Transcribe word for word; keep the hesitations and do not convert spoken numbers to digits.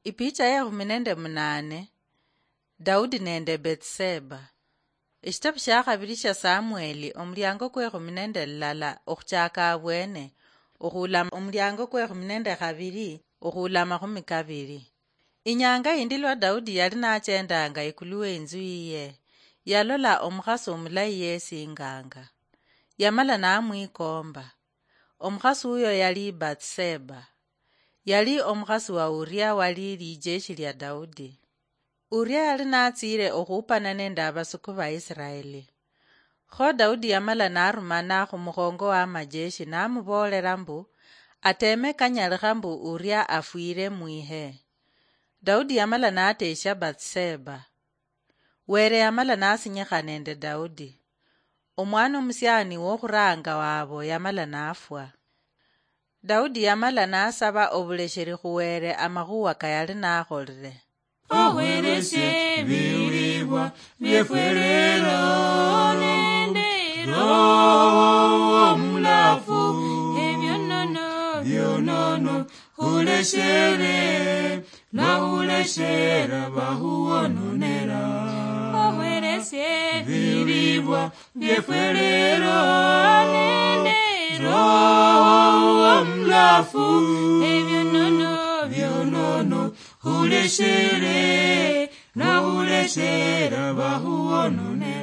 Ipicha yekhumi nende munane. Daudi nende Bethseba. Eshitabu shakhabili shia Samueli, omuliango kwekhumi nende lulala, okhuchaka abwene, okhulama omuliango kwekhumi nende khabili, okhulama khumi kabili. Inyanga yindi lwa Daudi yali nachendanga ikulu weinzu yiye, yalola omukhasi omulayi yesinganga. Yamala namwikomba. Omukhasi uyo yali Bathseba. Yali omukhasi wa Uria wali lijeshi lia Daudi. Uria yali natsiile okhuupana nende abasuku ba Isiraeli. Kho Daudi yamala narumana khumukhongo wa majeshi namuboolela mbu, ateme kanyalikha mbu Uria afwile mwihe. Daudi yamala natesha Bathseba. Wele yamala nasinyikha nende Daudi. Omwana omusiani wokhuranga wabo yamala nafwa. Daudi yamala nasaba obulesheri khu Wele amakhuwa kayali nakholile. Okhwereshe ebiwulibwa byefwe lero nende Roho Omulafu, ebyonono, byonono, khuleshere, lwa khuleshera bakhuwononera. Okhwereshe ebiwulibwa byefwe lero nende Roho Omulafu, ebyonono, byonono, khuleshere, lwa khuleshera bakhuwononera.